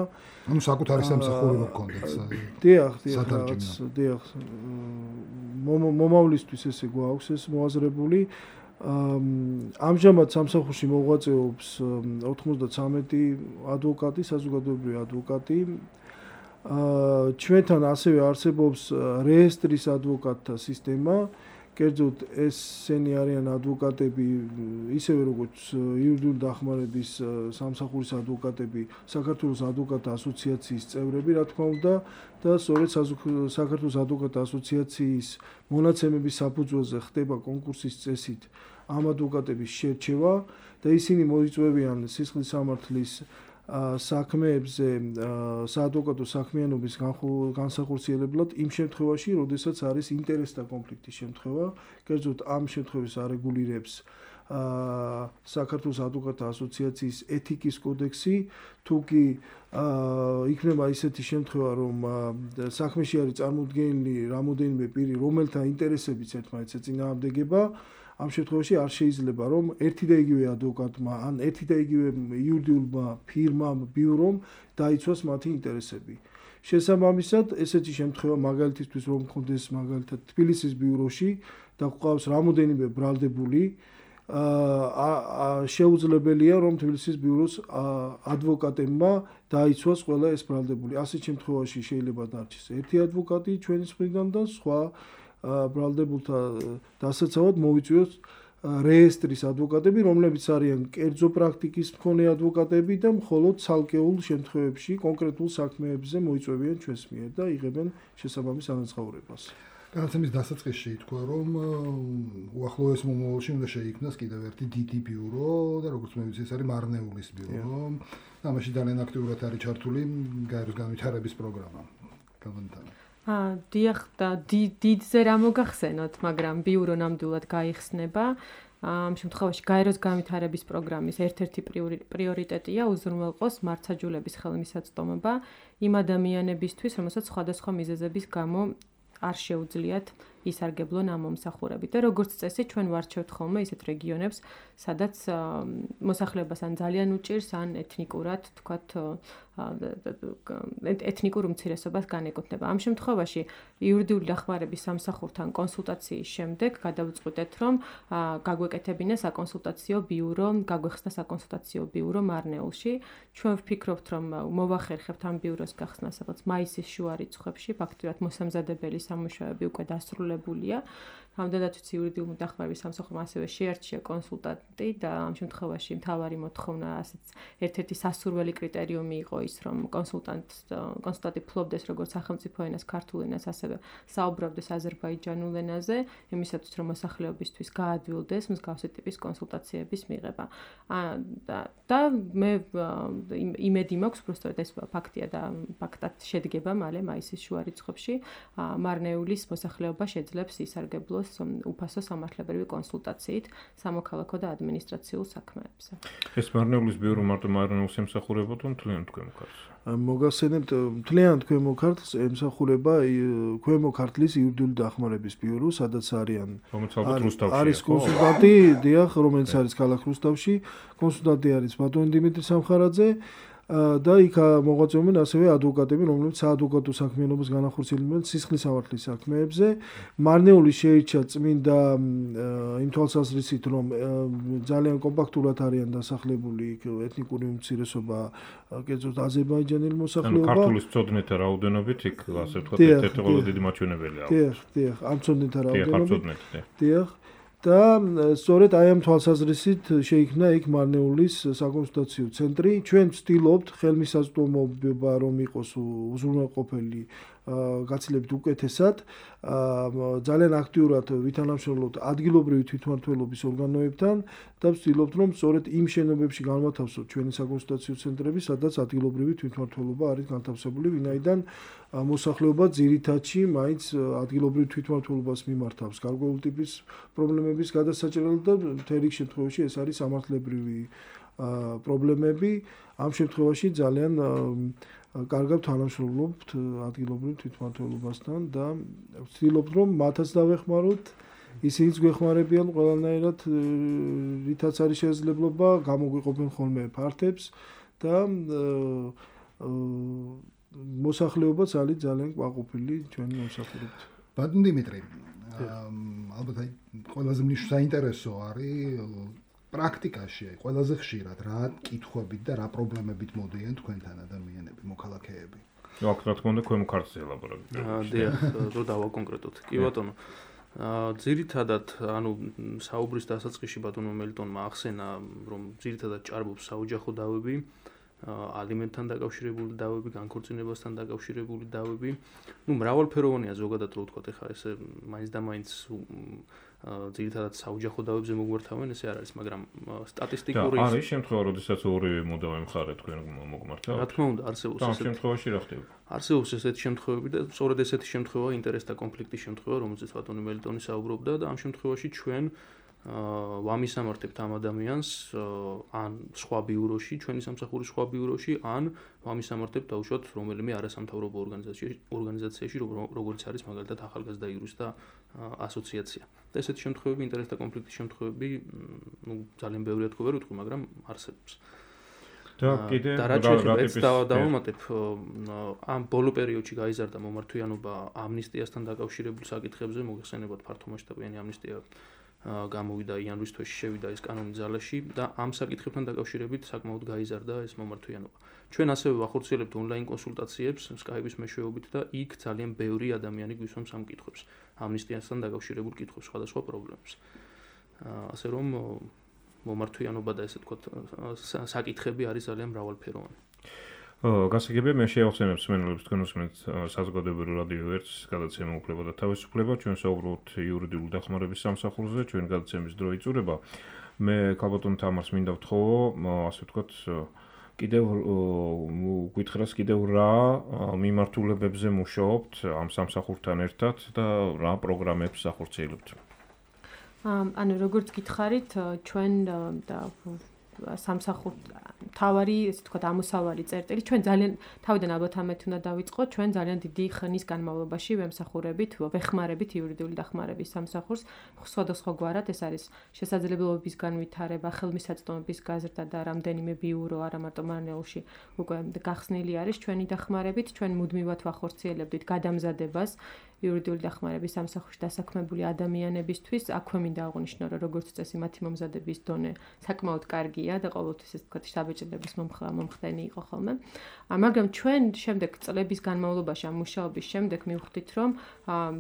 ანუ საკუთარი სამსახური გქონდეს. დიახ. მომავლისთვის ესე გვაქვს ეს მოაზრებული. ამჟამად სამსახურში მოღვაწეობს 93 ადვოკატი, საზოგადოებრივი ადვოკატი. ჩვენთან ასევე არსებობს რეესტრის ადვოკატთა სისტემა. კერძოდ ესენი არიან ადვოკატები, ისევე როგორც იურიდიული დახმარების სამსახურის ადვოკატები, საქართველოს ადვოკატთა ასოციაციის წევრები, რა თქმა უნდა, და სწორედ საქართველოს ადვოკატთა ასოციაციის მონაცემების საფუძველზე ხდება კონკურსის წესით ამ ადვოკატების შერჩევა და ისინი მოიწვევიან სისხლის სამართლის საქმეებზე, საადვოკატო საქმიანობის განსახორციელებლად იმ შემთხვევაში, როდესაც არის ინტერესთა კონფლიქტის შემთხვევა, კერძოდ ამ შემთხვევას არეგულირებს საქართველოს ადვოკატთა ასოციაციის ეთიკის კოდექსი, თუ კი იქნება ისეთი შემთხვევა, რომ საქმეში არის წარმოდგენილი რამოდენიმე პირი, რომელთა ინტერესებიც ერთმანეთს ეწინააღმდეგება, ამ შემთხვევაში არ შეიძლება რომ ერთი და იგივე ადვოკატმა ან ერთი და იგივე იურიდიულმა ფირმამ, ბიურომ დაიცვას მათი ინტერესები. შესაბამისად, ესეთი შემთხვევა მაგალითისთვის რომ მქონდეს მაგალითად თბილისის ბიუროში და გვყავს რამოდენიმე ბრალდებული, შეუძლებელია რომ თბილისის ბიუროს ადვოკატებმა დაიცვას ყველა ეს ბრალდებული. ასეთ შემთხვევაში შეიძლება დარჩეს ერთი ადვოკატი ჩვენი მხრიდან და სხვა ბრალდებულთა დასაცავად მოვიწვიოს რეესტრის ადვოკატები, რომლებიც არიან კერძო პრაქტიკის მქონე ადვოკატები და მხოლოდ ცალკეულ შემთხვევებში კონკრეტულ საქმეებზე მოიწვევიან ჩვენს მიერ და იღებენ შესაბამის ანაზღაურებას. განაცემის დასაწყისში ითქვა, რომ უახლოეს მომავალში უნდა შეიქმნას კიდევ ერთი დიდი ბიურო და როგორც მე ვიცი, ეს არის მარნეულის ბიურო. ამაში ძალიან აქტიურად არის ჩართული გაეროს განვითარების პროგრამა. დიახ, და დიდზე რა მოგახსენოთ, მაგრამ ბიურო ნამდვილად გაიხსნება. ამ შემთხვევაში გაეროს განვითარების პროგრამის ერთ-ერთი პრიორიტეტია უზრუნველყოს მართლმსაჯულების ხელმისაწვდომობა იმ ადამიანებისთვის, რომელსაც სხვადასხვა მიზეზების გამო არ შეუძლიათ ისარგებლონ ამ მომსახურებით. და როგორც წესი, ჩვენ ვარჩევთ ხოლმე ისეთ რეგიონებს, სადაც მოსახლეობას ან ძალიან უჭირს, ან ეთნიკურად, თქვათ, ეთნიკურ უმცირესობას განეკუთვნება. ამ შემთხვევაში იურიდიული დახმარების სამსახურთან კონსულტაციის შემდეგ გადავწყვიტეთ, რომ გაგვეკეთებინა საკონსულტაციო ბიურო, გაგვეხსნა საკონსულტაციო ბიურო მარნეულში. ჩვენ ვფიქრობთ, რომ მოვახერხებთ ამ ბიუროს გახსნას სადაც მაისის შუა რიცხვებში, ფაქტობრივად მოსამზადებელი სამუშაოები უკვე დასრულებულია. რამდენადაც ვიცი, იურიდიული დახმარების სამსახურმა ასევე შეარჩია კონსულტანტი და ამ შემთხვევაში მთავარი მოთხოვნა, ასეც ერთ-ერთი სასურველი კრიტერიუმი იყო ის, რომ კონსულტანტი ფლობდეს როგორც სახელმწიფო ენას, ქართულ ენას, ასევე საუბრობდეს აზერბაიჯანულ ენაზე, იმისათვის, რომ მოსახლეობისთვის გაადვილდეს მსგავსი ტიპის კონსულტაციების მიღება. და მე იმედი მაქვს, უბრალოდ ეს ფაქტია და ფაქტად შედგება მალე მაისის შუა რიცხვებში, მარნეულის მოსახლეობა შეძლებს ისარგებლოს უფასო სამართლებრივი კონსულტაციით სამოქალაქო და ადმინისტრაციულ საქმეებზე. ეს მარნეულის ბიურო მარტო მარნეულს ემსახურებოდა მთლიანად ქვემო ქართლს? მოგახსენებთ, მთლიანად ქვემო ქართლს ემსახურება ქვემო ქართლის იურიდიული დახმარების ბიურო, სადაც არის კონსულტანტი, დიახ, რომელიც არის ქალაქ რუსთავში, კონსულტანტი არის ბატონი დიმიტრი სამხარაძე. და იქ მოღვაწეობენ ასევე ადვოკატები, რომლებიც საადვოკატო საქმიანობას განახორციელებენ სისხლის სამართლის საქმეებზე. მარნეული შეირჩა წმინდა იმ თვალსაზრისით, რომ ძალიან კომპაქტურად არიან დასახლებული ეთნიკური უმცირესობა, კერძოდ აზერბაიჯანელი მოსახლეობა. ქართულის მცოდნეთა რაოდენობით იქ ასე ვთქვათ, ერთ-ერთი ყველაზე დიდი მაჩვენებელია. დიახ, ამ მცოდნეთა რაოდენობით. დიახ. და სწორედ აი ამ თვალსაზრისით შეიქმნა იქ მარნეულის საკონსულტაციო ცენტრი. ჩვენ ვცდილობთ ხელმისაწვდომობა რომ იყოს უზრუნველყოფელი გაცილებით უკეთესად, ძალიან აქტიურად ვითანამშრომლობთ ადგილობრივი თვითმმართველობის ორგანოებთან და ვცდილობთ რომ სწორედ იმ შენობებში განმათავსოთ ჩვენი საკონსულტაციო ცენტრები, სადაც ადგილობრივი თვითმმართველობა არის განთავსებული, ვინაიდან მოსახლეობა ძირითადში მაინც ადგილობრივ თვითმმართველობას მიმართავს გარკვეული ტიპის პრობლემების გადასაჭრელად და მთელ რიგ შემთხვევაში ეს არის სამართლებრივი პრობლემები. ამ შემთხვევაში ძალიან კარგად თანამშრომლობთ ადგილობრივ თვითმმართველობასთან და ვცდილობთ რომ მათაც დავეხმაროთ, ისინიც გვეხმარებიან ყველანაირად, რითაც არის შესაძლებლობა, გამოგვიყოფენ ხოლმე ფართებს და მოსახლეობა ძალიან ყვაყოფილი ჩვენი მომსახურებით. ბატონ დიმიტრი, ალბათ ყველაზე საინტერესო არის პრაქტიკაში, ყველაზე ხშირად რა კითხვებით და რა პრობლემებით მოდიან თქვენთან ადამიანები, მოქალაქეები? აქ რა თქმა უნდა ქვემო ქართლზე ელაბორატია. დიახ, რო დავაკონკრეტოთ. კი ბატონო. ძირითადად, საუბრის დასაწყისში ბატონო მელტონმა ახსენა, რომ ძირითადად ჭარბობს საოჯახო დავები ალიმენტთან დაკავშირებული დავები, განქორწინებასთან დაკავშირებული დავები. მრავალფეროვანია ზოგადად რო ვთქვათ, ეხლა ესე მაინც და მაინც ძირითადად საოჯახო დავებზე მოგვართავენ, ესე არ არის, მაგრამ სტატისტიკური არის შემთხვევა, როდესაც ორივე მოდავე მხარე თქვენ მოგმართავთ? რა თქმა უნდა, არსებობს ამ შემთხვევაში რა ხდება? არსებობს ესეთი შემთხვევები და სწორედ ესეთი შემთხვევა ინტერესთა კონფლიქტის შემთხვევა, რომელზეც ბატონი მელიტონი საუბრობდა და ამ შემთხვევაში ჩვენ ვამისამართებთ ამ ადამიანს ან სხვა ბიუროში, ჩვენი სამსახურის სხვა ბიუროში, ან ვამისამართებთ დაუშვათ რომელიმე არასამთავრობო ორგანიზაციაში, როგორც არის მაგალითად ახალგაზრდა იურისტთა ასოციაცია. და ესეთი შემთხვევები, ინტერესთა კონფლიქტის შემთხვევები, ძალიან ბევრია თქვა ვერ ვთქვი, მაგრამ არსებობს. და კიდე დავამატებ ამ ბოლო პერიოდში გაიზარდა მომართვიანობა ამნისტიასთან დაკავშირებულ საკითხებზე, მოგეხსენებათ ფართომასშტაბიანი ამნისტია გამოვიდა იანვრის თვეში შევიდა ეს კანონი ძალაში და ამ საკითხებთან დაკავშირებით საკმაოდ გაიზარდა ეს მომართვიანობა. ჩვენ ასევე ვახორციელებთ ონლაინ კონსულტაციებს Skype-ის მეშვეობით და იქ ძალიან ბევრი ადამიანი გვისვამს ამ კითხვებს, ამნისტიასთან დაკავშირებულ კითხვებს, სხვადასხვა პრობლემებს. ასე რომ მომართვიანობა და ესე ვთქვათ საკითხები არის ძალიან მრავალფეროვანი. გასაგებია მე შევახსენებ მსმენელებს თქვენ უსმენთ საზოგადოებრივ რადიო 1-ს გადაცემა უფლება და თავისუფლება, ჩვენ საუბრობთ იურიდიული დახმარების სამსახურზე, ჩვენ გადაცემის დრო იწურება. მე ქალბატონ თამარს მინდა ვთხოვო, ასე ვთქვათ, კიდევ გითხრას კიდევ რა მიმართულებებზე მუშაობთ ამ სამსახურთან ერთად და რა პროგრამებს ახორციელებთ? ანუ როგორც გითხარით, ჩვენ და სამსახურ თავარი, ესე ვთქვათ, ამოსავალი წერტილი, ჩვენ ძალიან თავიდან ალბათ ამით უნდა დავიწყოთ, ჩვენ ძალიან დიდი ხნის განმავლობაში ვემსახურებით, ვეხმარებით იურიდიული დახმარების სამსახურს, სხვადასხვაგვარად, ეს არის შესაძლებლობების განვითარება, ხელმისაწვდომების გაზრდა და რამდენიმე ბიურო, არა მარტო მარნეულში უკვე გახსნილი არის ჩვენი დახმარებით, ჩვენ მუდმივად ვახორციელებდით გადამზადებას იურიდიული დახმარების სამსახურში დასაქმებული ადამიანებისთვის. აქვე მინდა აღვნიშნო, რომ როგორც წესი მათი მომზადების დონე საკმაოდ კარგია და ყოველთვის ეს თქვათ საბეჭდების მომხდენი იყო ხოლმე. მაგრამ ჩვენ შემდეგ წლების განმავლობაში ამ მუშაობის შემდეგ მივხვდით, რომ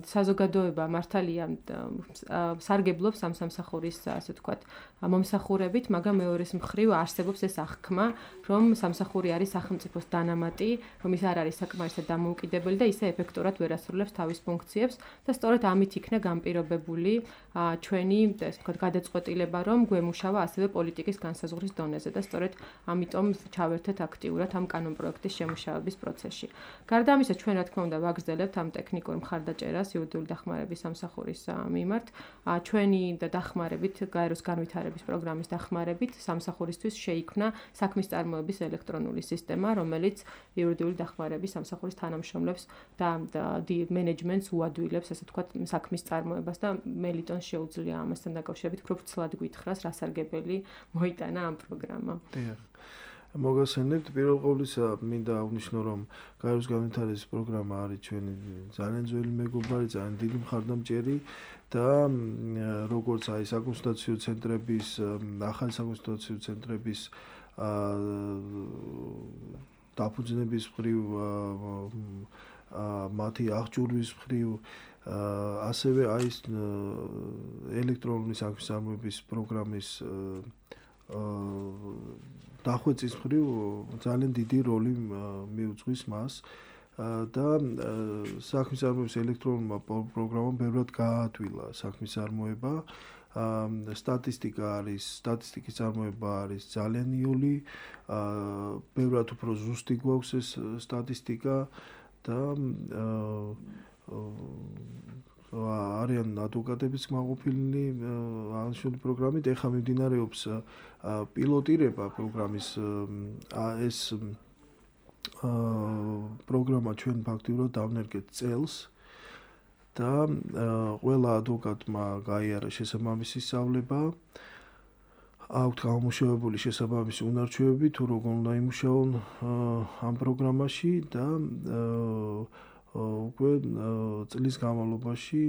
საზოგადოება მართალია სარგებლობს ამ სამსახურის, ასე ვთქვათ, მომსახურებით, მაგრამ მეორეს მხრივ არსებობს ეს აღქმა, რომ სამსახური არის სახელმწიფოს დანამატი, რომ ის არ არის საკმარისად დამოუკიდებელი და ისე ეფექტურად ვერ ასრულებს თავის ფუნქციებს და სწორედ ამით იქნა განპირობებული ჩვენი, ასე ვთქვათ, გადაწყვეტილება, რომ გვემუშავა ასევე პოლიტიკის განსაზღვრის დონეზე და სწორედ ამიტომ ჩავერთეთ აქტიურად ამ კანონპროექტის შემუშავების პროცესში. გარდა ამისა, ჩვენ რა თქმა უნდა ვაგრძელებთ ამ ტექნიკურ მხარდაჭერას იურიდიული დახმარების სამსახურის მიმართ. ჩვენი დახმარებით, გაეროს განვითარების პროგრამის დახმარებით სამსახურისთვის შეიქმნა საქმის წარმოების ელექტრონული სისტემა, რომელიც იურიდიული დახმარების სამსახურის თანამშრომლებს და მენეჯმენტს უადვილებს, ასე ვთქვათ, საქმის წარმოებას და მელიტონს შეუძლია ამასთან დაკავშირებით უფრო ვრცლად გითხრას, რა სარგებელი მოიტანა ამ პროგრამამ. მოგახსენებთ, პირველ ყოვლისა მინდა აღვნიშნო, რომ გაეროს განვითარების პროგრამა არის ჩვენი ძალიან ძველი მეგობარი, ძალიან დიდი მხარდამჭერი და როგორც აი საკონსულტაციო ცენტრების, ახალი საკონსულტაციო ცენტრების დაფუძნების მხრივ, მათი აღჭურვის მხრივ, ასევე აი ეს ელექტრონული საქმის წარმოების პროგრამის დახვეწის მხრივ ძალიან დიდი როლი მიუძღვის მას და საქმის წარმოების ელექტრონულმა პროგრამამ ბევრად გააადვილა საქმის წარმოება. სტატისტიკის წარმოება არის ძალიან იოლი, ბევრად უფრო ზუსტი გვაქვს ეს სტატისტიკა და არიან ადვოკატებიც მაყოფილნი აღნიშნული პროგრამით. ეხლა მიმდინარეობს პილოტირება პროგრამის ეს პროგრამა ჩვენ ფაქტიურად დავნერგეთ წელს და ყველა ადვოკატმა გაიარა შესაბამისი სწავლება. აქვთ გამომუშავებული შესაბამისი უნარჩვევები, თუ როგორ უნდა იმუშაონ ამ პროგრამაში და უკვე წლის განმავლობაში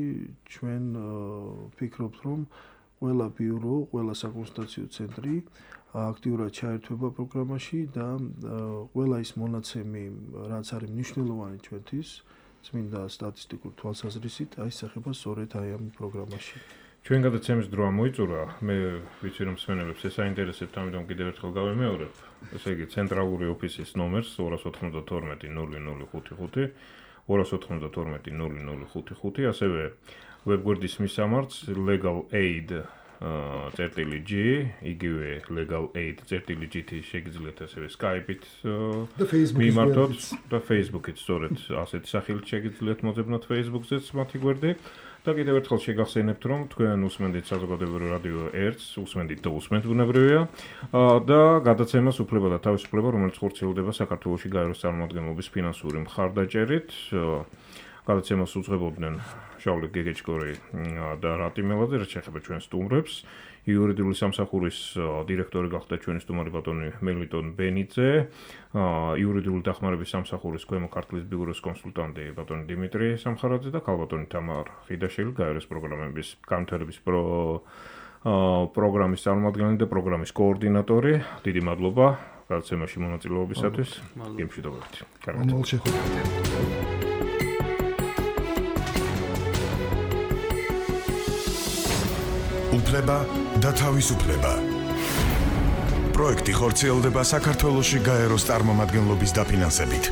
ჩვენ ვფიქრობთ, რომ ყველა ბიურო, ყველა საკონსულტაციო ცენტრი აქტიურად ჩაერთვება პროგრამაში და ყველა ის მონაცემი, რაც არის მნიშვნელოვანი ჩვენთვის, წმინდა სტატისტიკურ თვალსაზრისით, აისახება სწორედ აი ამ პროგრამაში. ჩვენ გადაცემის დრო ამოიწურა. მე ვიცი რომ მსმენელებს ეს აინტერესებთ, ამიტომ კიდევ ერთხელ გავემეორებ. ესე იგი ცენტრალური ოფისის ნომერს 292 0055 292 0055, ასევე ვებგვერდის მისამართს legalaid.g, იგივე legalaid.gt შეგიძლიათ ასევე Skype-ით მიმართოთ და Facebook-ით სწორედ ასეთი სახელით შეგიძლიათ მოძებნოთ Facebook-ზეც მათი გვერდი. და კიდევ ერთხელ შეგახსენებთ, რომ თქვენ უსმენთ საზოგადოებრივ რადიო 1-ს, უსმენთ და უსმენთ ბუნებრივია და გადაცემას უფლება და თავისუფლება, რომელიც ხორციელდება საქართველოში გაეროს წარმომადგენლობის ფინანსური მხარდაჭერით. გადაცემას უძღვებოდნენ შავლე გეგეჭკორი და რატი მელაძე, რაც შეეხება ჩვენ სტუმრებს. იურიდიული სამსახურის დირექტორი გახდა ჩვენი სტუმარი ბატონი მელიტონ ბენიძე, იურიდიული დახმარების სამსახურის ქვემო ქართლის ბიუროს კონსულტანტი ბატონი დიმიტრი სამხარაძე და ქალბატონი თამარ ხიდაშვილი, გაეროს პროგრამების განვითარების პროგრამის წარმომადგენელი და პროგრამის კოორდინატორი. დიდი მადლობა გადაცემაში მონაწილეობისათვის. გემშვიდობებით. უფლება და თავისუფლება. პროექტი ხორციელდება საქართველოში გაეროს წარმომადგენლობის დაფინანსებით.